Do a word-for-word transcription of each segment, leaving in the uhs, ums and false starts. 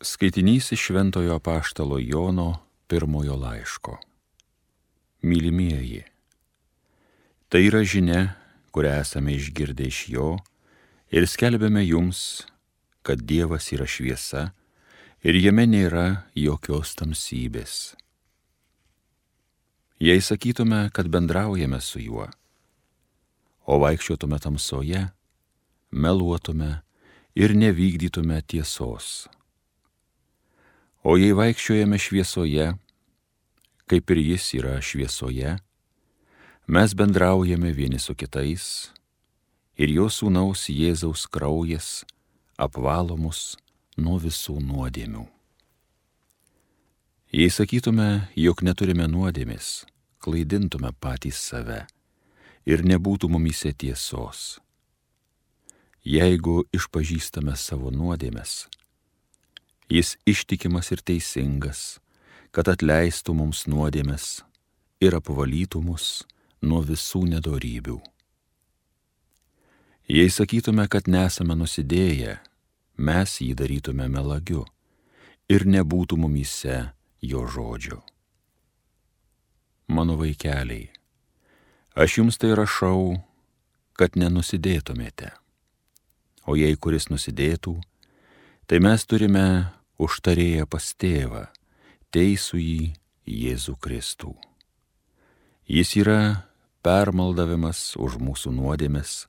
Skaitinys iš Šventojo Apaštalo Jono pirmojo laiško. Mylimieji, tai yra žinia, kurią esame išgirdę iš jo ir skelbiame jums, kad Dievas yra šviesa ir jame nėra jokios tamsybės. Jei sakytume, kad bendraujame su juo, o vaikščiotume tamsoje, meluotume ir nevykdytume tiesos. O jei vaikščiojame šviesoje, kaip ir jis yra šviesoje, mes bendraujame vieni su kitais ir jo sūnaus Jėzaus kraujas apvalo mus nuo visų nuodėmių. Jei sakytume, jog neturime nuodėmės, klaidintume patys save ir nebūtų mumyse tiesos. Jeigu išpažįstame savo nuodėmes, jis ištikimas ir teisingas, kad atleistų mums nuodėmes ir apvalytų mus nuo visų nedorybių. Jei sakytume, kad nesame nusidėję, mes jį darytume melagiu ir nebūtų mumyse jo žodžio. Mano vaikeliai, aš jums tai rašau, kad nenusidėtumėte. O jei kuris nusidėtų, tai mes turime užtarėję pas tėvą, teisųjį Jėzų Kristų. Jis yra permaldavimas už mūsų nuodėmes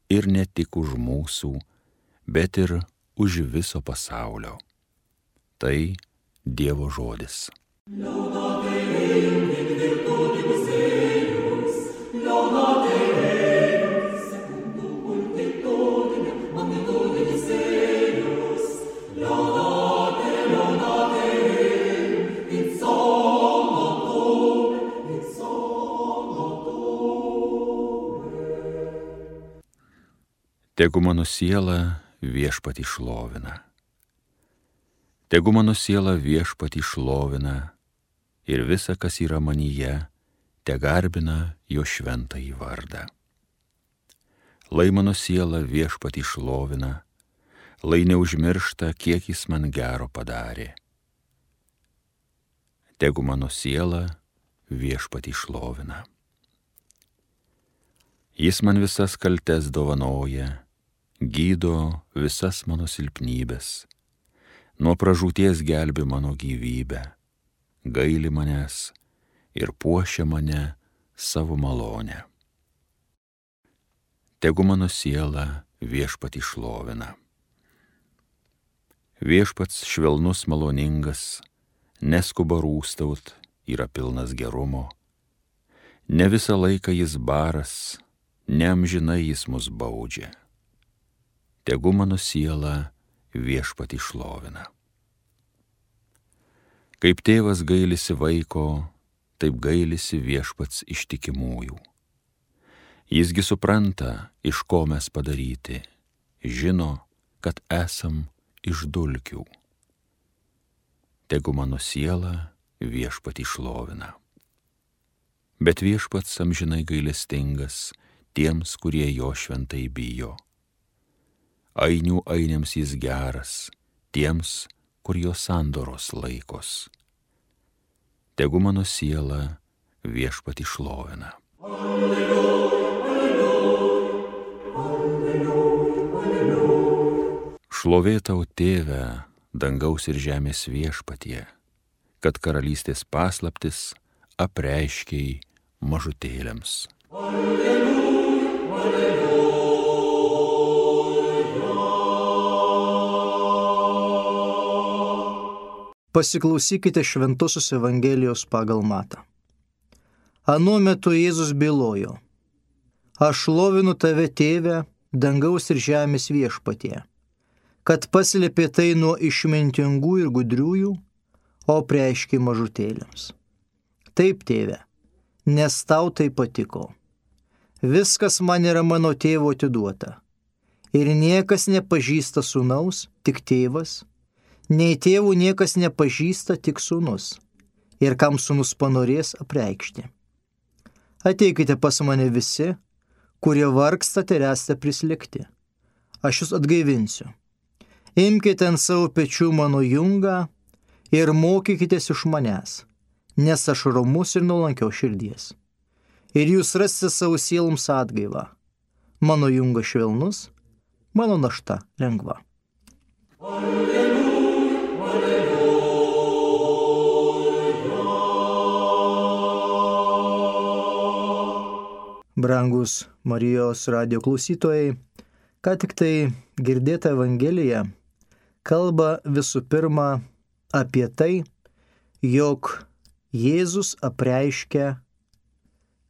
ir ne tik už mūsų, bet ir už viso pasaulio. Tai Dievo žodis. Tegu mano siela viešpatį šlovina. Tegu mano siela viešpatį šlovina ir visa, kas yra manyje, te garbina jo šventąjį vardą. Lai mano siela viešpatį šlovina, lai neužmiršta, kiek jis man gero padarė. Tegu mano siela viešpatį šlovina. Jis man visas kaltes dovanoja, gydo visas mano silpnybės, nuo pražūties gelbi mano gyvybę, gaili manęs ir puošia mane savo malonę. Tegu mano siela viešpatį šlovina. Viešpats švelnus maloningas, neskuba rūstaut, yra pilnas gerumo. Ne visą laiką jis baras, neamžinai jis mus baudžia. Tegu mano siela viešpatį šlovina. Kaip tėvas gailisi vaiko, taip gailisi viešpats ištikimųjų. Jisgi supranta, iš ko mes padaryti, žino, kad esam iš dulkių. Tegu mano siela viešpatį šlovina. Bet viešpats amžinai gailestingas tiems, kurie jo šventai bijo. Ainių ainiams jis geras, tiems, kur jo sandoros laikos. Tegu mano siela viešpatį šlovina. Alleluja, alleluja, alleluja. Šlovė tau, Tėve, dangaus ir žemės viešpatie, kad karalystės paslaptis apreiškei mažutėliams. Alleluja, alleluja. Pasiklausykite Šventosios Evangelijos pagal Matą. Anuo metu Jėzus bylojo: Aš šlovinu tave, Tėve, dangaus ir žemės viešpatie, kad paslėpė tai nuo išmintingų ir gudriųjų, o preiškė mažutėliams. Taip, Tėve, nes tau tai patiko. Viskas man yra mano tėvo atiduota, ir niekas nepažįsta sūnaus, tik tėvas, nei tėvų niekas nepažįsta, tik sūnus, ir kam sūnus panorės apreikšti. Ateikite pas mane visi, kurie vargstate ir esate prislėgti. Aš jūs atgaivinsiu. Imkite ant savo pečių mano jungą ir mokykitės iš manęs, nes aš romus ir nuolankios širdies. Ir jūs rasite savo sieloms atgaivą. Mano jungas švelnus, mano našta lengva. Brangus Marijos radijo klausytojai, ką tik tai girdėta Evangelija kalba visų pirma apie tai, jog Jėzus apreiškia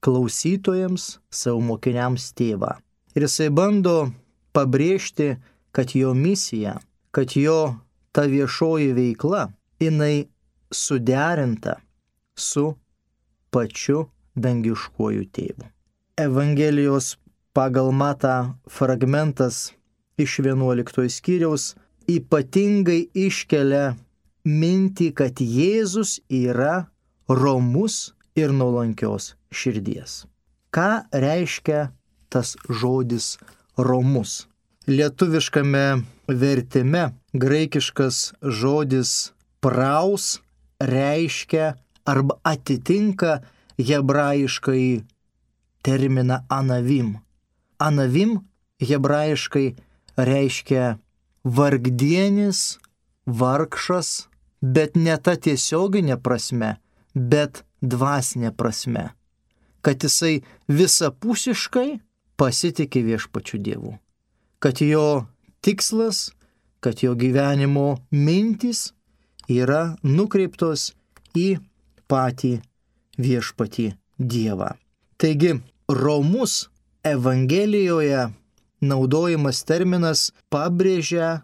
klausytojams, savo mokiniams tėvą. Ir jisai bando pabrėžti, kad jo misija, kad jo ta viešoji veikla, jinai suderinta su pačiu dangiškuoju tėvu. Evangelijos pagal Matą fragmentas iš vienuoliktojo skyriaus ypatingai iškelia mintį, kad Jėzus yra romus ir nuolankios širdies. Ką reiškia tas žodis romus? Lietuviškame vertime graikiškas žodis praus reiškia arba atitinka hebrajiškai terminą anavim. Anavim hebrajiškai reiškia vargdienis, vargšas, bet ne ta tiesioginė prasme, bet dvasinė prasme, kad jisai visapusiškai pasitikė viešpačiu Dievu, kad jo tikslas, kad jo gyvenimo mintys yra nukreiptos į patį viešpatį Dievą. Taigi, romus Evangelijoje naudojamas terminas pabrėžia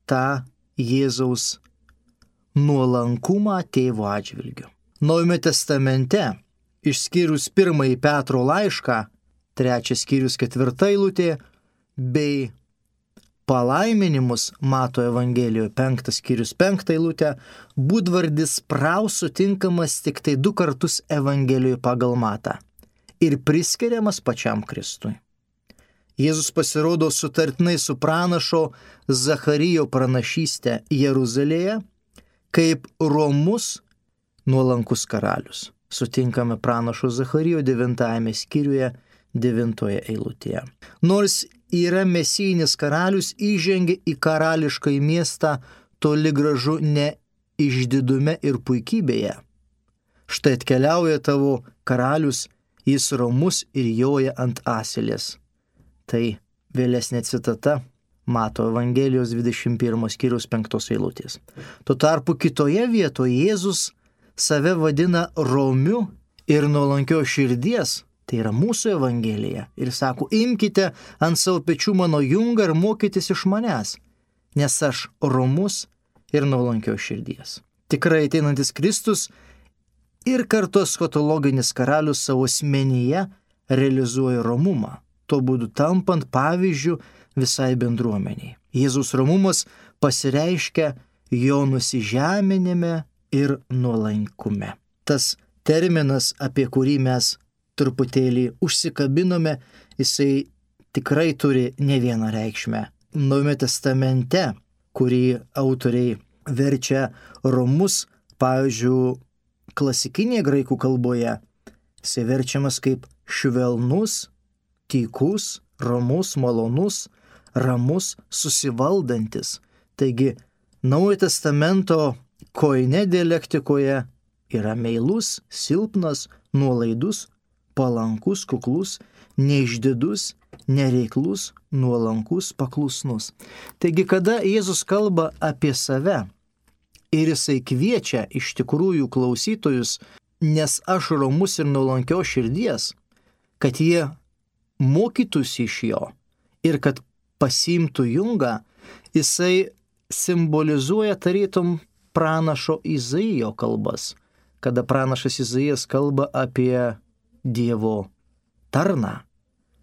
tą Jėzaus nuolankumą tėvo atžvilgiu. Naujame testamente, išskyrus pirmąjį Petro laišką, trečias skyrius ketvirta eilutė, bei palaiminimus Mato Evangelijoje, penktas skyrius penktą eilutę, būdvardis praus sutinkamas tik tai du kartus Evangelijoje pagal Matą ir priskiriamas pačiam Kristui. Jėzus pasirodo sutartinai su pranašo Zacharijo pranašyste Jeruzalėje kaip romus nuolankus karalius. Sutinkame pranašo Zacharijo devintajame skyriuje devintoje eilutėje. Nors yra mesijinis karalius, įžengia į karališkąjį miestą toli gražu ne išdidume ir puikybėje. Štai atkeliauja tavo karalius, jis romus ir joja ant asilės. Tai vėlesnė citata Mato Evangelijos dvidešimt pirmo skyriaus penktos eilutės. Tuo tarpu kitoje vietoje Jėzus save vadina romiu ir nuolankios širdies, tai yra mūsų Evangelija, ir sako, imkite ant savo pečių mano jungą ir mokykitės iš manęs, nes aš romus ir nuolankios širdies. Tikrai ateinantis Kristus ir kartu eschatologinis karalius savo asmenyje realizuoja romumą, tuo būdu tampant pavyzdžių visai bendruomeniai. Jėzus romumas pasireiškia jo nusižeminime ir nuolankume. Tas terminas, apie kurį mes truputėlį užsikabinome, jisai tikrai turi ne vieną reikšmę. Naujame testamente, kurį autoriai verčia romus, pavyzdžiui, klasikinėje graikų kalboje, jisai verčiamas kaip švelnus, tykus, ramus, malonus, ramus, susivaldantis. Taigi, Naujojo testamento koine dialektikoje yra meilus, silpnas, nuolaidus, palankus, kuklus, neišdidus, nereiklus, nuolankus, paklusnus. Taigi, kada Jėzus kalba apie save ir jisai kviečia iš tikrųjų klausytojus, nes aš romus ir nuolankios širdies, kad jie mokytųsi iš jo ir kad pasiimtų jungą, jisai simbolizuoja tarytum pranašo Izaijo kalbas, kada pranašas Izaijas kalba apie Dievo tarną,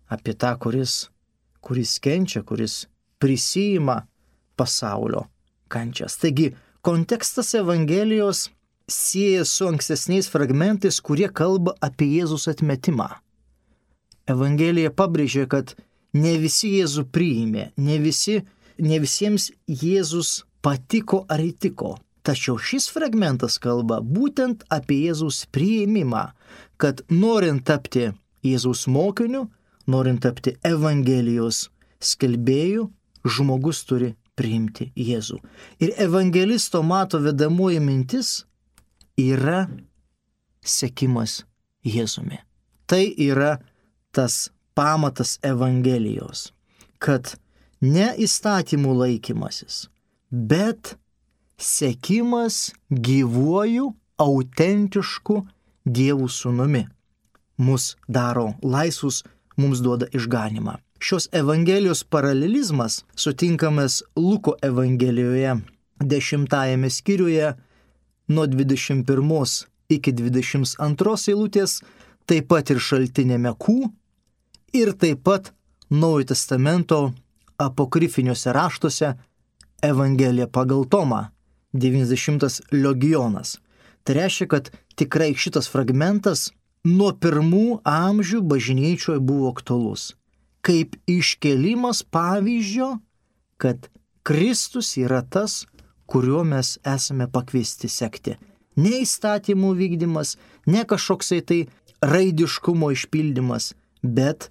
apie tą, kuris, kuris kenčia, kuris prisijima pasaulio kančias. Taigi, kontekstas Evangelijos sieja su ankstesniais fragmentais, kurie kalba apie Jėzus atmetimą. Evangelija pabrėžia, kad ne visi Jėzų priėmė, ne visi ne visiems Jėzus patiko ar įtiko. Tačiau šis fragmentas kalba būtent apie Jėzaus priėmimą, kad norint tapti Jėzaus mokiniu, norint tapti Evangelijos skelbėju, žmogus turi priimti Jėzų. Ir evangelisto Mato vedamoji mintis yra sekimas Jėzumi. Tai yra tas pamatas Evangelijos, kad ne įstatymų laikymasis, bet sekimas gyvuoju, autentišku Dievų sūnumi mus daro laisvus, mums duoda išganimą. Šios Evangelijos paralelizmas sutinkamas Luko Evangelijoje dešimtajame skyriuje nuo dvidešimt pirmos iki dvidešimt antros eilutės, taip pat ir šaltinėme Q ir taip pat Naujojo testamento apokrifiniuose raštuose Evangelija pagal Tomą, devyniasdešimtas legionas. Tai reiškia, kad tikrai šitas fragmentas nuo pirmų amžių bažnyčioje buvo aktualus. Kaip iškėlimas pavyzdžio, kad Kristus yra tas, kuriuo mes esame pakviesti sekti. Ne įstatymų vykdymas, ne kažkoksai tai raidiškumo išpildymas, bet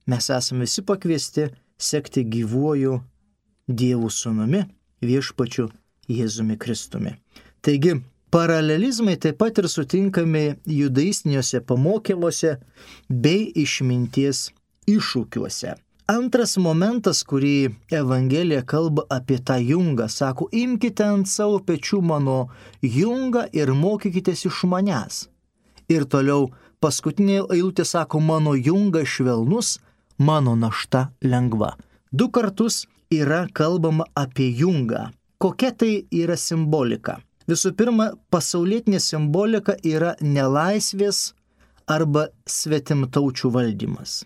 mes esame visi pakviesti sekti gyvuoju Dievų sūnumi, viešpačiu Jėzumi Kristumi. Taigi, paralelizmai taip pat ir sutinkami judaistiniuose pamokymuose bei išminties iššūkiuose. Antras momentas, kurį Evangelija kalba apie tą jungą, sako, imkite ant savo pečių mano jungą ir mokykitės iš manęs. Ir toliau paskutinė eilutė sako, mano jungas švelnus, mano našta lengva. Du kartus yra kalbama apie jungą. Kokia tai yra simbolika? Visų pirma, pasaulietinė simbolika yra nelaisvės arba svetimtaučių valdymas.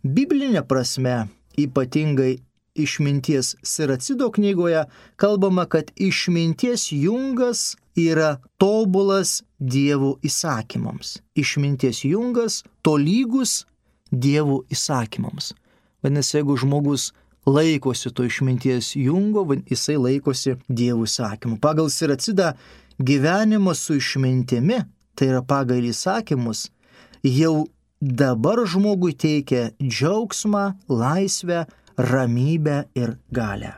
Biblinė prasme, ypatingai išminties Siracido knygoje, kalbama, kad išminties jungas yra tobulas Dievo įsakymams. Išminties jungas tolygus Dievo įsakymams. Vadinasi, jeigu žmogus laikosi to išminties jungo, jisai laikosi Dievo įsakymų. Pagal Siracidą gyvenimas su išmintimi, tai yra pagal įsakymus, jau dabar žmogui teikia džiaugsmą, laisvę, ramybę ir galią.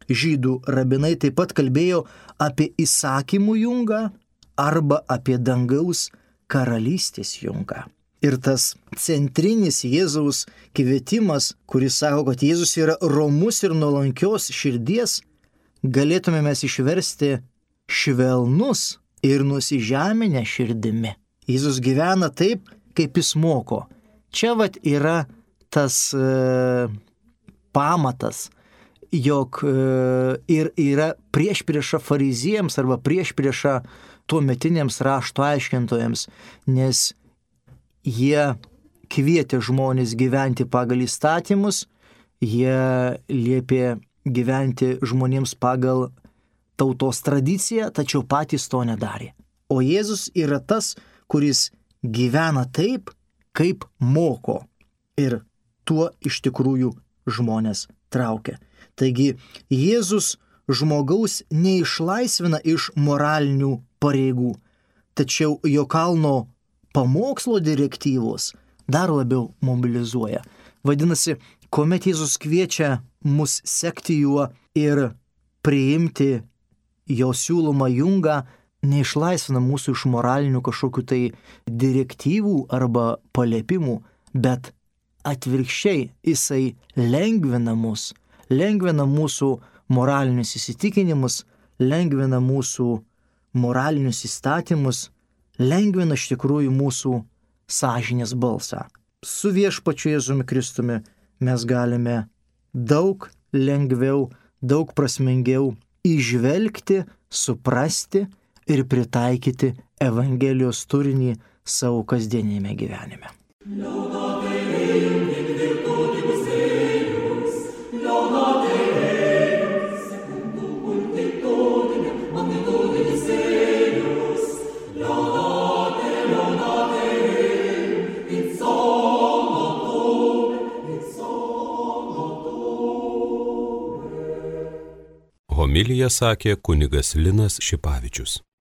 Žydų rabinai taip pat kalbėjo apie įsakymų jungą arba apie dangaus karalystės jungą. Ir tas centrinis Jėzaus kvietimas, kuris sako, kad Jėzus yra romus ir nuolankios širdies, galėtume mes išversti švelnus ir nusižeminę širdimi. Jėzus gyvena taip, kaip jis moko. Čia vat yra tas e, pamatas, jog e, ir yra priešprieša fariziejams arba priešprieša tuometiniams rašto aiškintojams, nes jie kvietė žmonės gyventi pagal įstatymus, jie liepė gyventi žmonėms pagal tautos tradiciją, tačiau patys to nedarė. O Jėzus yra tas, kuris gyvena taip, kaip moko. Ir tuo iš tikrųjų žmonės traukia. Taigi Jėzus žmogaus neišlaisvina iš moralinių pareigų, tačiau jo kalno pamokslo direktyvos dar labiau mobilizuoja. Vadinasi, kuomet Jėzus kviečia mus sekti juo ir priimti jo siūlomą jungą, neišlaisvina mūsų iš moralinių kažkokių tai direktyvų arba paliepimų, bet atvirkščiai jisai lengvina mus, lengvina mūsų moralinius įsitikinimus, lengvina mūsų moralinius įstatymus, lengvina iš tikrųjų mūsų sąžinės balsą. Su viešpačiu Jėzumi Kristumi mes galime daug lengviau, daug prasmingiau įžvelgti, suprasti ir pritaikyti Evangelijos turinį savo kasdienėme gyvenime. Homiliją sakė kunigas Linas Šipavičius.